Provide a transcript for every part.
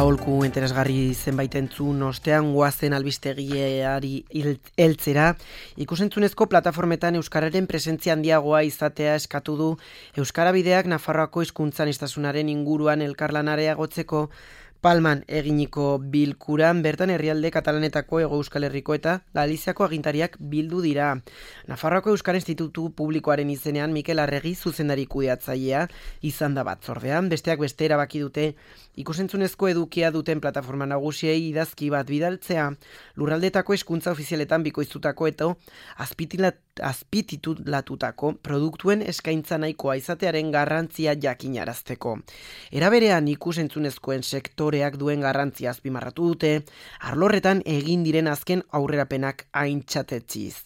aholku interesgarri zenbait entzun ostean goazen albistegiari heltzera. Ikusentzunezko plataformetan euskararen presentzia handiagoa izatea eskatu du Euskara Bideak Nafarroako hizkuntzaniztasunaren inguruan elkarlana areagotzeko Palman eginiko bilkuran bertan herrialde katalanetako Hego Euskal Herriko eta Galiziako agintariak bildu dira. Nafarroako Euskara Institutu Publikoaren izenean Mikel Arregi zuzendari kudeatzailea izan da batzordean, besteak beste erabaki dute ikusentzunezko edukia duten plataforma nagusiei idazki bat bidaltzea, lurraldetako hizkuntza ofizialetan bikoiztutako eta azpititulatutako produktuen eskaintza nahikoa izatearen garrantzia jakinarazteko. Era berean ikusentzunezkoen sektoreak duen garrantzia azpimarratu dute, arlorretan egin diren azken aurrerapenak aintzatetziz.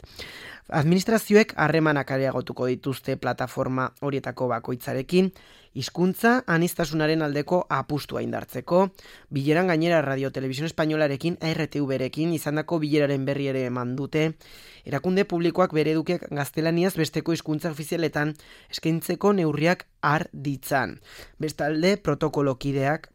Administrazioek harremanak areagotuko dituzte plataforma horietako bakoitzarekin, hizkuntza aniztasunaren aldeko apustua indartzeko, bileran gainera Radio Televisión Españolarekin, RTV-rekin izandako bileraren berri ere eman dute, erakunde publikoak bere edukiak gaztelaniaz besteko hizkuntza ofizialetan eskaintzeko neurriak har ditzan. Bestalde, protokolokideak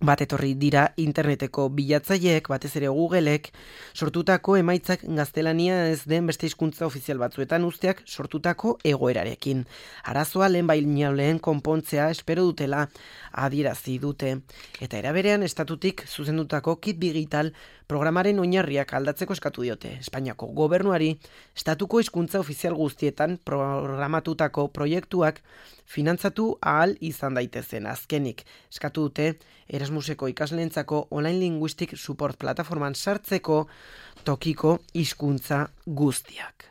bat etorri dira interneteko bilatzaileek, batez ere Googleek, sortutako emaitzak gaztelania ez den beste hizkuntza ofizial batzuetan uzteak sortutako egoerarekin. Arazoa lehen konpontzea espero dutela adierazi dute. Eta eraberean estatutik zuzendutako kit digital programaren oinarriak aldatzeko eskatu diote. Espainiako gobernuari estatuko hizkuntza ofizial guztietan programatutako proiektuak finantzatu ahal izan daitezen. Azkenik eskatu dute Erasmuseko ikasleentzako online linguistic support plataforman sartzeko tokiko hizkuntza guztiak.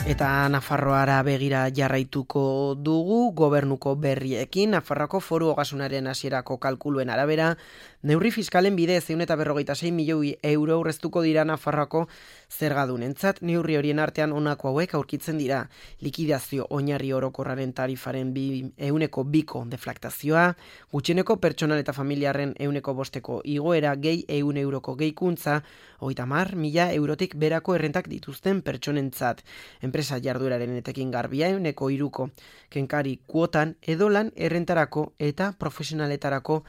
Eta Nafarroara begira jarraituko dugu gobernuko berriekin. Nafarroako Foru Ogasunaren hasierako kalkuluen arabera, neurri fiskalen bidez 156 milioi euro aurreztuko dira Nafarroako zergadunentzat. Neurri horien artean honako hauek aurkitzen dira: likidazio oinarri orokorraren tarifaren 2% deflaktazioa, gutxieneko pertsonal eta familiarren 5% igoera, gehi 100 euroko gehikuntza, 30.000 eurotik berako errentak dituzten pertsonentzat, enpresa jardueraren etekin garbia 3% kenkari kuotan edo lan errentarako eta profesionaletarako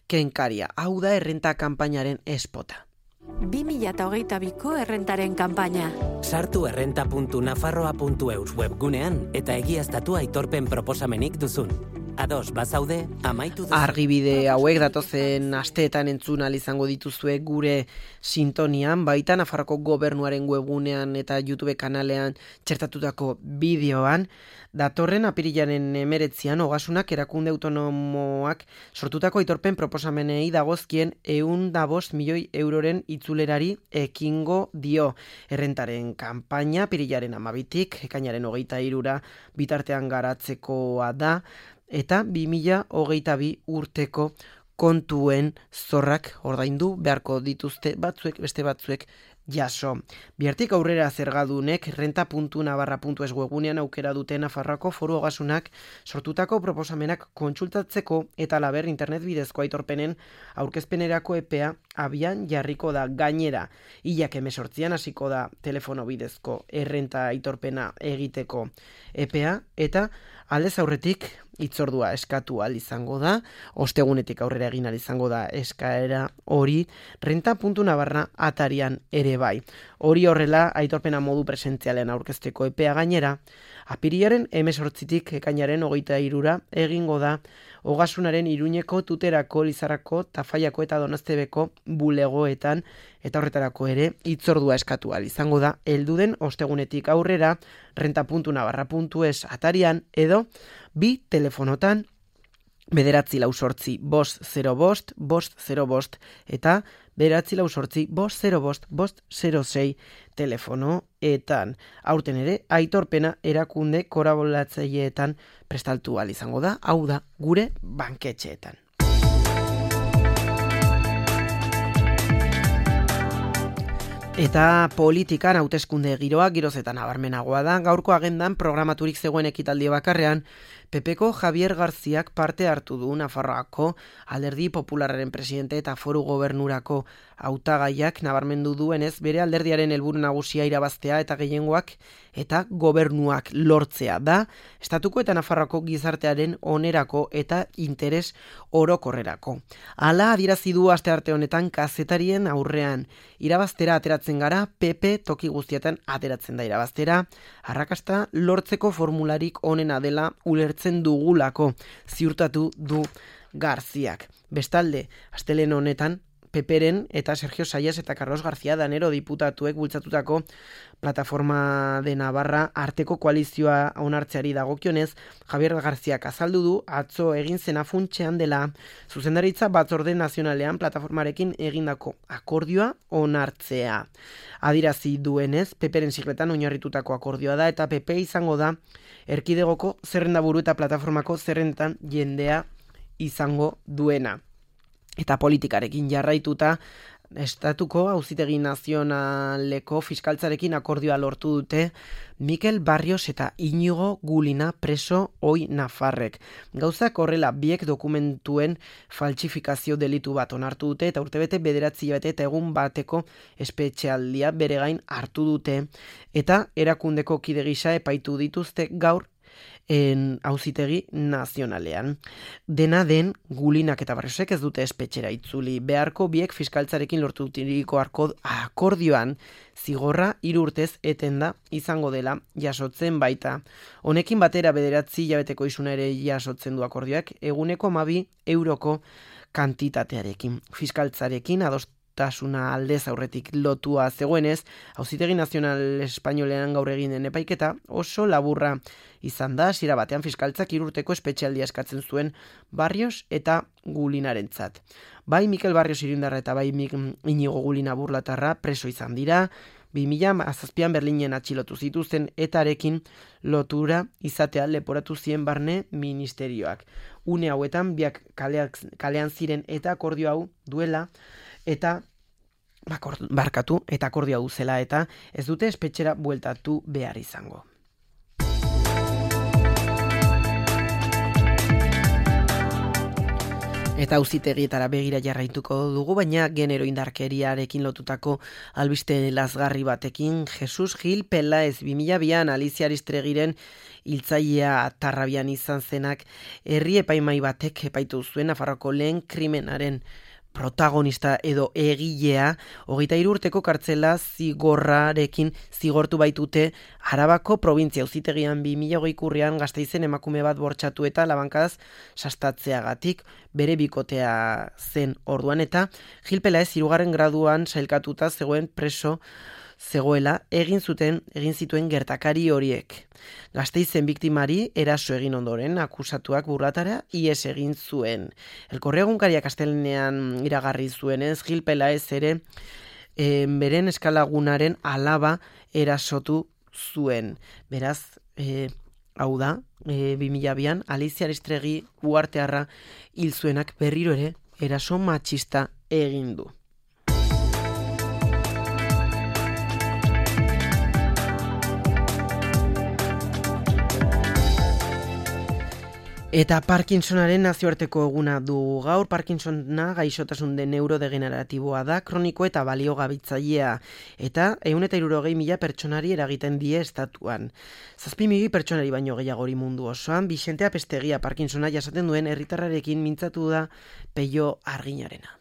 kenkaria. Hau da errenta kanpainaren espota. 2022ko errentaren kanpaina. Sartu errenta.nafarroa.eus webgunean eta egiaztatu aitorpen proposamenik duzun. Ados, bazaude, amaitu duzu. Argibide hauek datozen asteetan entzun ahal izango dituzue gure sintonian, baita Nafarroko gobernuaren webgunean eta YouTube kanalean txertatutako bideoan. Datorren apirilaren 19an Ogasunak erakunde autonomoak sortutako aitorpen proposamenei dagozkien 105 milioi euroren itzulerari ekingo dio. Errentaren kanpaina apirilaren 12tik ekainaren 23ra bitartean garatzekoa da, eta 2022 urteko kontuen zorrak ordaindu beharko dituzte batzuek, beste batzuek jaso. Bihartik aurrera zergadunek renta.navarra.es webgunean aukera dute Nafarroako Foru Ogasunak sortutako proposamenak kontsultatzeko eta laber internet bidezko aitorpenen aurkezpenerako epea abian jarriko da. Gainera, hilak 18an hasiko da telefono bidezko errenta aitorpena egiteko epea eta aldez aurretik hitzordua eskatu ahal izango da, ostegunetik aurrera egin ahal izango da eskaera hori renta.navarra atarian ere bai. Hori horrela, aitorpena modu presentzialean aurkezteko epea gainera, apirilaren 18tik ekainaren 23ra egingo da Ogasunaren Iruñeko, Tuterako, Lizarrako, Tafaiako eta Donostebeko bulegoetan, eta horretarako ere hitzordua eskatu ahal izango da helduden ostegunetik aurrera renta.navarra.es atarian edo bi telefonotan 948-505-505 eta 948-505-506 telefonoetan. Aurten ere, aitorpena erakunde kolaboratzaileetan prestaltu ahal izango da, hau da, gure banketxeetan. Eta politikan hauteskunde giroa girozetan nabarmenagoa da. Gaurko agendan programaturik zegoen ekitaldi bakarrean, PPko Javier Garziak parte hartu du Nafarroako Alderdi Popularraren presidente eta Foru Gobernurako hautagaiak nabarmendu duenez bere alderdiaren helburu nagusia irabaztea eta gehiengoak eta gobernuak lortzea da, Estatuko eta Nafarroako gizartearen onerako eta interes orokorrerako. Hala adierazi du astearte honetan kazetarien aurrean. Irabaztera ateratzen gara, PP toki guztietan ateratzen da irabaztera, arrakasta lortzeko formularik onena dela ulertzen dugulako, ziurtatu du Garziak. Bestalde, astelehen honetan, Peperen eta Sergio Sayas eta Carlos García Danero diputatuek bultzatutako Plataforma de Navarra arteko koalizioa onartzeari dagokionez, Javier Garziak azaldu du atzo egin zena funtsean dela zuzendaritza batzorde nazionalean plataformarekin egindako akordioa onartzea. Adirazi duenez, Peperen sigletan oinarritutako akordioa da eta PP izango da erkidegoko zerrendaburu eta plataformako zerrendan jendea izango duena. Eta politikarekin jarraituta, Estatuko Auzitegi Nazionaleko fiskaltzarekin akordioa lortu dute Mikel Barrios eta Iñigo Gulina preso ohi nafarrek. Gauzak horrela biek dokumentuen faltsifikazio delitu bat onartu dute eta urtebete 9 hilabete eta egun bateko espetxealdia bere gain hartu dute eta erakundeko kide gisa epaitu dituzte gaur Auzitegi Nazionalean. Dena den, Gulinak eta Barriosek ez dute espetxera itzuli. Beharko biek fiskaltzarekin lortu dutiriko akordioan zigorra 3 urtez etenda izango dela jasotzen baita. Honekin batera 9 hilabeteko isuna ere jasotzen du akordioak eguneko 12 euroko kantitatearekin. Fiskaltzarekin adostasuna aldez aurretik lotua zegoenez, Auzitegi Nazional Espainolean gaur egin den epaiketa oso laburra izan da, hasiera batean fiskaltzak 3 urteko espetxealdia eskatzen zuen Barrios eta Gulinarentzat. Bai Mikel Barrios irindarra eta bai Iñigo Gulina burlatarra preso izan dira, 2007an Berlinen atxilotu zituzten etarekin lotura izatea leporatu zien barne ministerioak. Une hauetan biak kalean ziren eta akordio hau duela eta barkatu eta akordio hau zela eta ez dute espetxera bueltatu behar izango. Eta auzitegietara begira jarraituko dugu, baina genero indarkeriarekin lotutako albiste lazgarri batekin. Jesus Gil Pelaez 2002an Alicia Aristregiren hiltzailea Tarrabian izan zenak herri epaimai batek epaitu zuen Nafarroako lehen krimenaren protagonista edo egilea 23 urteko kartzela zigorrarekin zigortu baitute Arabako probintzia auzitegian 2020 urrian Gasteizen emakume bat bortxatu eta labankadaz sastatzeagatik bere bikotea zen orduan eta Gil Pelaez 3. graduan sailkatuta zegoen preso zegoela egin zituen gertakari horiek. Gasteizen biktimari eraso egin ondoren akusatuak burlatara ihes egin zuen. El Correo egunkariak astelehenean iragarri zuenez Gil Pelaez ere beren eskalagunaren alaba erasotu zuen. Beraz, hau da, 2002an Alicia Aristregi uhartearra hil zuenak berriro ere eraso matxista egin du. Eta Parkinsonaren nazioarteko eguna du gaur. Parkinsona gaixotasun de neurodegeneratiboa da, kroniko eta baliogabitzailea, eta 160.000 pertsonari eragiten die estatuan. 7.000 pertsonari baino gehiagori mundu osoan. Bixente Apestegia Parkinsona jasaten duen herritarrarekin mintzatu da Peio Arginarena.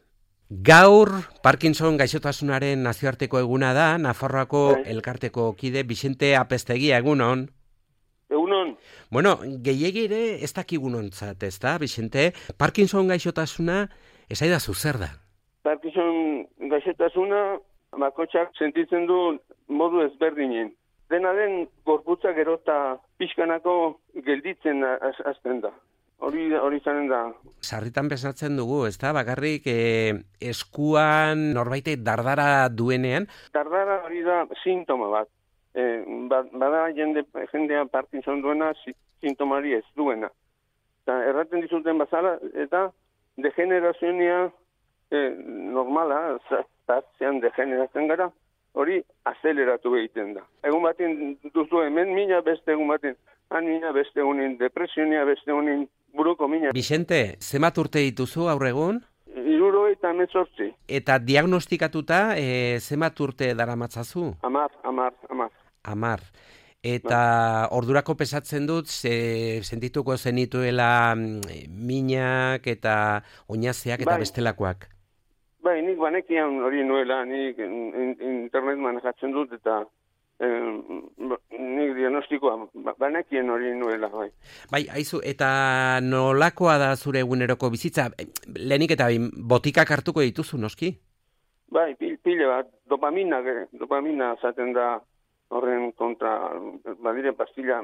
Gaur Parkinson gaixotasunaren nazioarteko eguna da, Nafarroako elkarteko kide Bixente Apestegia, egunon. Egunon. Bueno, gehiegi ere ez dakigunontzat, ez da, Bixente? Parkinson gaixotasuna esaidazu zer da? Parkinson gaixotasuna bakotxak sentitzen du modu ezberdinen. Dena den gorputza gero eta pixkanako gelditzen hasten da. Hori zanen da. Sarritan besatzen dugu, ez da, bakarrik eskuan norbaitek dardara duenean? Dardara hori da sintoma bat. Bada jendea Parkinson duena sintomari ez duena. Erraten dizuten bazala eta degenerazioa normala, zartzean degeneratzen gara, hori azeleratu egiten da. Egun baten duzu hemen mina, beste egun baten mina, beste egunin depresionia, beste egunin buruko mina. Bixente, zenbat urte dituzu gaur egun? 78. Eta diagnostikatuta, zenbat urte daramatzazu? 10. 10. Eta ordurako pesatzen dut, sentituko zenituela minak eta oinazeak eta bestelakoak. Bai, nik banekian hori nuela, nik internet manejatzen dut eta nik diagnostikoa banekien hori nuela, bai. Bai, aizu, eta nolakoa da zure eguneroko bizitza? Lehenik eta botikak hartuko dituzu, noski? Bai, pile bat, dopamina zaten da horren kontra, badire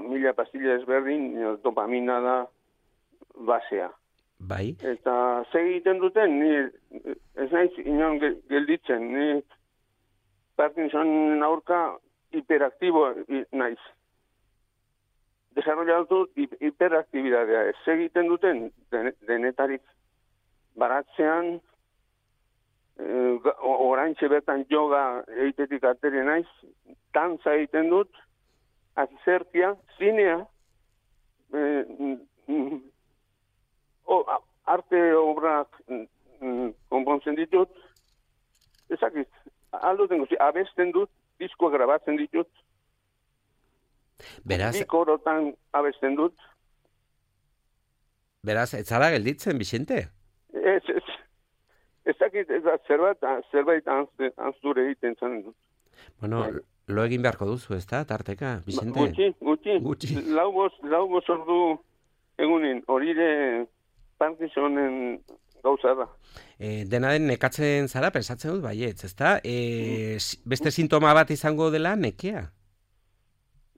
mila pastilla ezberdin, dopamina da basea. Bai. Eta segiten duten, ni ez naiz inon gelditzen, ni Parkinson aurka hiperaktibo naiz. Desarrollatu hiperaktibidadea. Ez egiten duten denetarik baratzean, oraintxe bertan yoga egitetik ateri naiz, dantza egiten dut, azerkia, zinea, arte obrak konpontzen ditut, ezakit, alduten guzi, abesten dut, diskoa grabatzen ditut, bikorotan abesten dut. Beraz, ez zara gelditzen, Bixente? Ezakit, zerbait anzure egiten zan dut. Bueno, lo egin beharko duzu, ez da, tarteka, Bixente? Gutxi. Lau bost ordu egunin, horire Parkinsonen gauza da. Dena den nekatzen zara, pensatzen dut, baietz, ez da? Beste sintoma bat izango dela, nekea?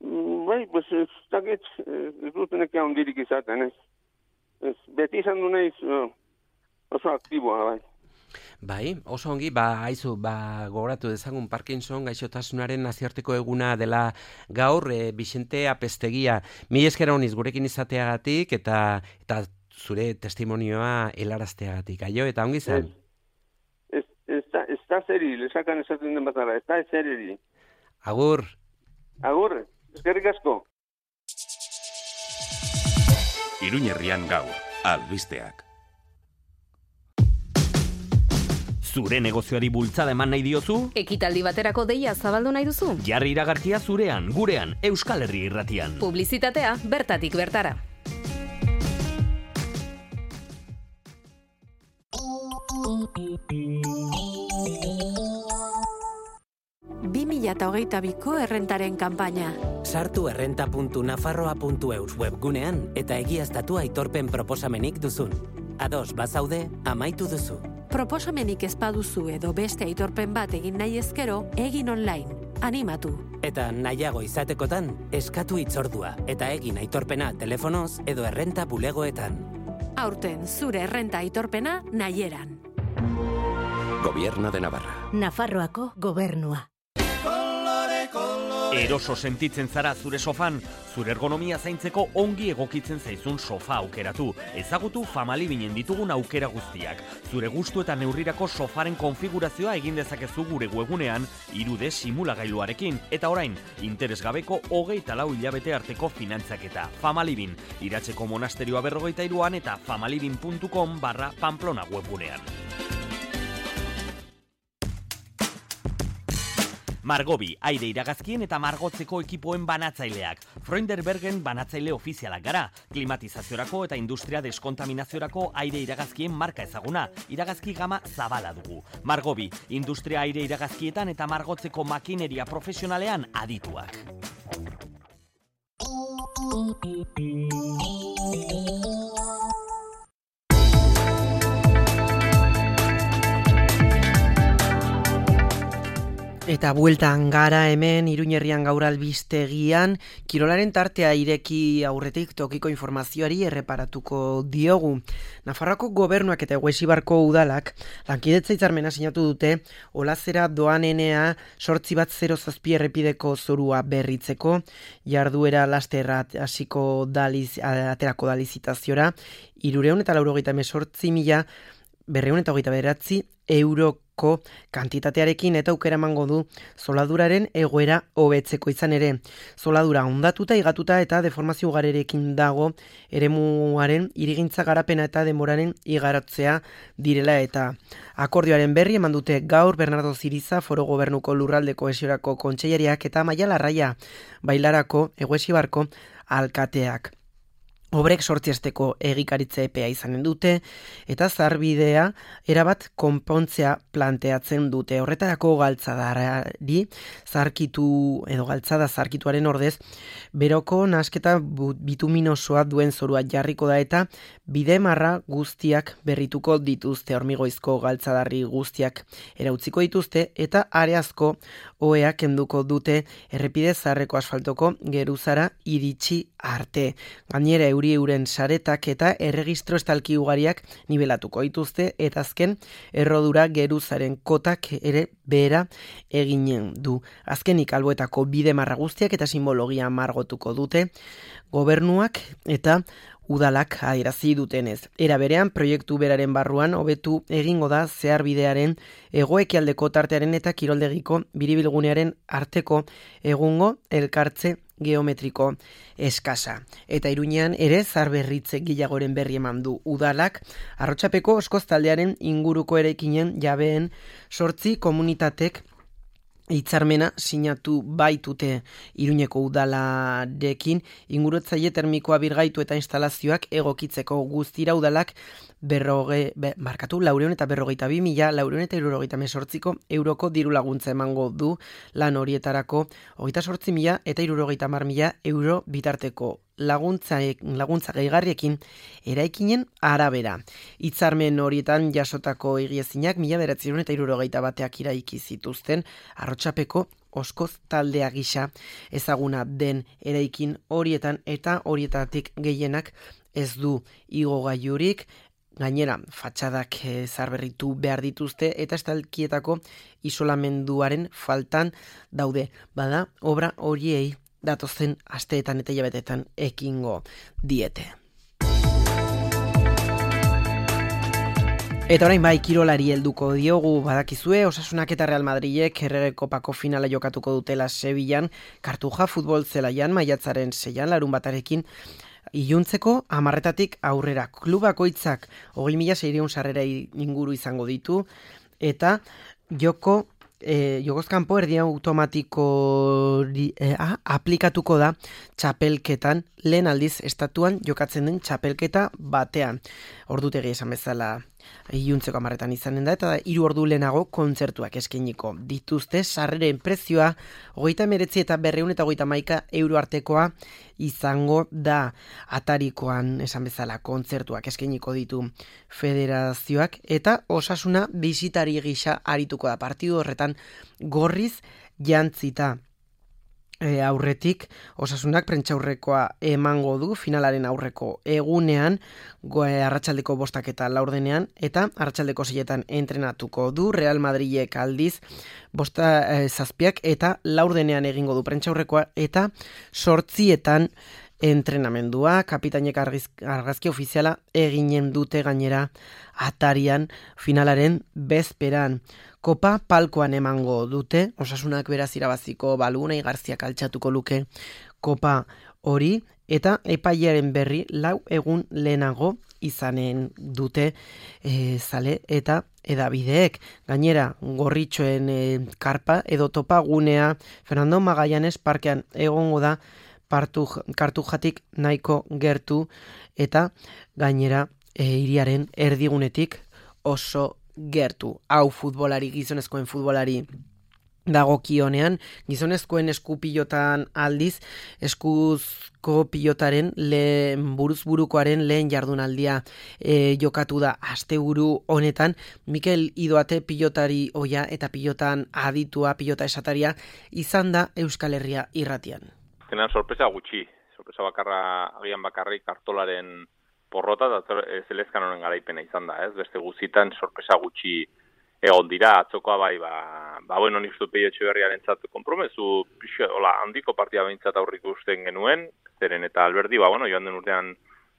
Bai, pues, ez dut nekea ondirik izaten, ez. Beti izan du nahiz oso aktiboa, bai. Bai, oso ongi, haizu, gogoratu dezagun Parkinson gaixotasunaren nazioarteko eguna dela gaur, Bixente Apeztegia. Mila esker honiz gurekin izateagatik eta zure testimonioa helarazteagatik. Aio, eta ongi zen? Ez da zeri, lesakan esaten den batara, ez da zeri. Agur. Agur, eskerrik asko. Iruñerrian gaur, albisteak. Zure negozioari bultzada eman nahi diozu? Ekitaldi baterako deia zabaldu nahi duzu? Jarri iragarkia zurean, gurean, Euskal Herria Irratian. Publizitatea bertatik bertara. ko errentaren kanpaina. Sartu errenta.nafarroa.eus webgunean eta egiaztatu aitorpen proposamenik duzun. Ados bazaude, amaitu duzu. Proposamenik ez baduzu edo beste aitorpen bat egin nahi ezkero, egin online. Animatu. Eta nahiago izatekotan, eskatu hitzordua eta egin aitorpena telefonoz edo errenta bulegoetan. Aurten zure errenta aitorpena nahieran. Gobierno de Navarra. Nafarroako gobernua. Eroso sentitzen zara zure sofan, zure ergonomia zaintzeko ongi egokitzen zaizun sofa aukeratu. Ezagutu Famalibinen ditugun aukera guztiak. Zure gustu eta neurrirako sofaren konfigurazioa egin dezakezu gure webgunean 3D simulagailuarekin. Eta orain, interesgabeko 24 hilabete arteko finantzaketa. Famalibin, Iratzeko monasterioa 43an eta famalibin.com/Pamplona webgunean. Margobi, aire iragazkien eta margotzeko ekipoen banatzaileak. Freunderbergen banatzaile ofizialak gara. Klimatizaziorako eta industria deskontaminaziorako aire iragazkien marka ezaguna. Iragazki gama zabala dugu. Margobi, industria aire iragazkietan eta margotzeko makineria profesionalean adituak. Eta bueltan gara hemen Iruñerrian gaur albistegian, kirolaren tartea ireki aurretik tokiko informazioari erreparatuko diogu. Nafarroako gobernuak eta Eguesibarko udalak lankidetza hitzarmena sinatu dute Olazera doanenea 807 errepideko zorua berritzeko, jarduera lasterra hasiko aterako da lizitaziora, 388.229 € ko kantitatearekin eta aukera emango du zoladuraren egoera hobetzeko izan ere. Zoladura hondatuta, igatuta eta deformazio ugarerekin dago eremuaren irigintza garapena eta denboraren igarotzea direla eta akordioaren berri eman dute gaur Bernardo Ziriza Foro Gobernuko Lurraldeko Esiorako kontseilariak eta Maia Larraia Bailarako Eguesibarko alkateak. Obrek 8 asteko egikaritze epea izanen dute eta zarbidea erabat konpontzea planteatzen dute. Horretarako galtzadarari galtzada zarkituaren ordez beroko nasketa bituminosoa duen zorua jarriko da eta bidemarra guztiak berrituko dituzte. Hormigoizko galtzadarri guztiak erautziko dituzte eta areazko oheak kenduko dute errepide zaharreko asfaltoko geruzara iritsi arte. Gainera euren saretak eta erregistro estalki ugariak nibelatuko dituzte eta azken errodura geruzaren kotak ere behera eginen du. Azkenik alboetako bidemarra guztiak eta simbologia margotuko dute gobernuak eta udalak adierazi dutenez. Era berean, proiektu beraren barruan hobetu egingo da zeharbidearen hegoekialdeko tartearen eta kiroldegiko biribilgunearen arteko egungo elkartze geometriko eskasa. Eta Iruñean ere zaharberritze gehiagoren berri eman du udalak, Arrotzapeko Oskoz taldearen inguruko eraikinen jabeen 8 komunitatek hitzarmena sinatu baitute Iruñeko udalarekin ingurutzaile termikoa birgaitu eta instalazioak egokitzeko guztira udalak 442.422.478 euroko diru laguntza emango du lan horietarako 28.000 eta 70.000 euro bitarteko laguntza gehigarriekin eraikinen arabera. Hitzarmen horietan jasotako egiezinak 1971 iraiki zituzten Arrotzapeko Oskoz taldea gisa ezaguna den eraikin horietan eta horietatik gehienak ez du igogailurik. Gainera, fatxadak zaharberritu behar dituzte eta estalkietako isolamenduaren faltan daude. Bada, obra horiei datozen asteetan eta hilabetetan ekingo diete. Eta orain bai kirolari helduko diogu badakizue, Osasunak eta Real Madridek Errege Kopako finala jokatuko dutela Sevillan, Kartuja futbol zelaian maiatzaren 6 larunbatarekin iluntzeko 10 aurrera. Klubakoitzak 20.600 sarrera inguru izango ditu eta Jogozkanpo erdi automatiko aplikatuko da txapelketan, lehen aldiz estatuan jokatzen den txapelketa batean. Ordutegi esan bezala iluntzeko 10 izanen da, eta 3 ordu lehenago kontzertuak eskainiko dituzte. Sarreren prezioa 39 eta 231 euro artekoa izango da. Atarikoan esan bezala kontzertuak eskainiko ditu federazioak eta Osasuna bisitari gisa arituko da. Partidu horretan gorriz jantzita aurretik Osasunak prentsaurrekoa emango du finalaren aurreko egunean, arratsaldeko 5 eta 4 eta arratsaldeko 6 entrenatuko du. Real Madridek aldiz 7 eta 4 egingo du prentsaurrekoa eta 8 entrenamendua. Kapitainek argazki ofiziala eginen dute gainera atarian finalaren bezperan. Kopa palkoan emango dute, Osasunak beraz irabaziko balu, Unai Garziak altxatuko luke kopa hori, eta epailearen berri 4 egun lehenago izanen dute zale eta edabideek. Gainera, gorritxoen karpa edo topagunea Fernando Magallanes parkean egongo da Kartujatik nahiko gertu eta gainera hiriaren erdigunetik oso gertu. Hau futbolari, gizonezkoen futbolari dagokionean, gizonezkoen eskupilotan aldiz, eskuzko pilotaren buruzburukoaren lehen jardunaldia jokatu da asteburu honetan. Mikel Idoate pilotari oia eta pilotan aditua, pilota esataria izan da Euskal Herria irratian. Zenan sorpresa gutxi, sorpresa bakarra, agian bakarrik kartolaren porrota eta zelezkan honen garaipena izan da, ez? Beste guzitan sorpresa gutxi egon dira, atzokoa bai, bueno, niztu Peio Etxeberriaren zatu kompromezu, handiko partida behintzat aurrik usten genuen, zeren eta Alberdi, bueno, joan den urtean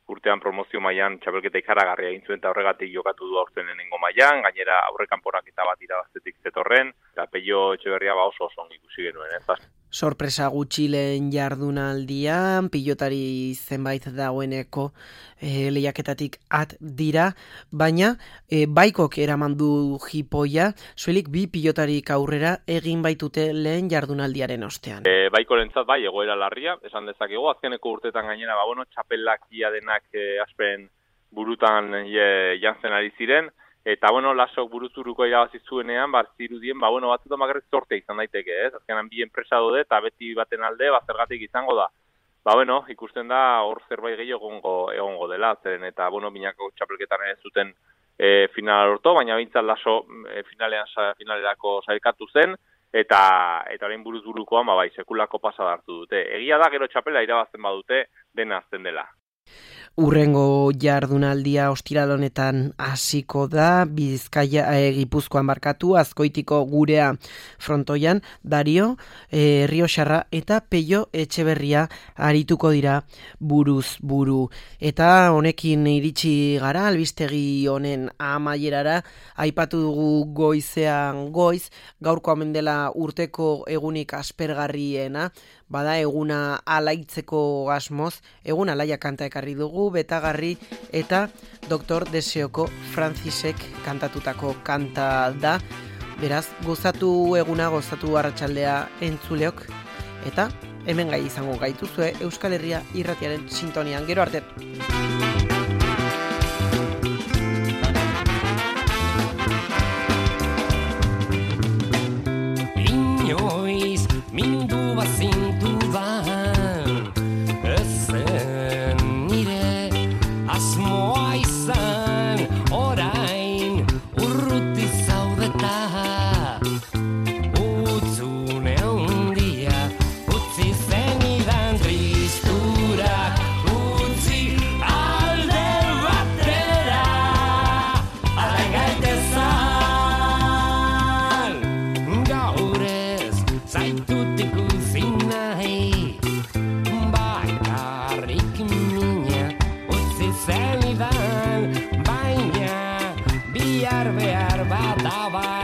urtean promozio mailan txapelketa ikaragarria egin zuen eta horregatik jokatu du aurten lehenengo mailan, gainera aurrekanporaketa bat irabaztetik zetorren, eta Pello Etxeberria oso ongi ikusi genuen, ez? Sorpresa gutxi lehen jardunaldian, pilotari zenbait dagoeneko lehiaketatik at dira, baina baikok eraman du jipoia, zuelik bi pilotarik aurrera egin baitute lehen jardunaldiaren ostean. Baikorentzat bai, egoera larria, esan dezakegu, azkeneko urtetan gainera, txapelak ia denak aspen burutan jantzen ari ziren, eta lasok buruzuruko irabazi zuenean, zirudien, batzutan bakarrik zorte izan daiteke, ez? Azkenan bi enpresa dode eta beti baten alde, zergatik izango da. Ikusten da hor zerbait gehiago egongo dela, zeren eta, binako txapelketan ez zuten finala lortu, baina bintzat laso finalerako sailkatu zen, eta orain buruz burukoan, sekulako pasada hartu dute. Egia da, gero txapela irabazten badute, dena azten dela. Urrengo jardunaldia ostiral honetan hasiko da, Gipuzkoan barkatu, Azkoitiko Gurea frontoian, Dario, Errioxarra eta Pello Etxeberria arituko dira buruz buru. Eta honekin iritsi gara, albistegi honen amaierara, aipatu dugu goizean goiz, gaurko omen dela urteko egunik aspergarriena, bada eguna alaitzeko asmoz, egun alaia kanta ekarri dugu, betagarri eta Dr. Deseoko Francisek kantatutako kanta da. Beraz, gozatu eguna, gozatu arratsaldea entzuleok, eta hemen gai izango gaituzue Euskal Herria irratiaren sintonian. Gero arte! Inoiz, mindu bazintu ban, ezen nire asmoa izan, orain urruti zaudeta. Utzune handia, utzi zenidan tristurak, utzi alde batera, alain gaitezan, gaurez zaitut ikusi nahi, bakarrik mina utzi zenidan, baina bihar behar bat abai.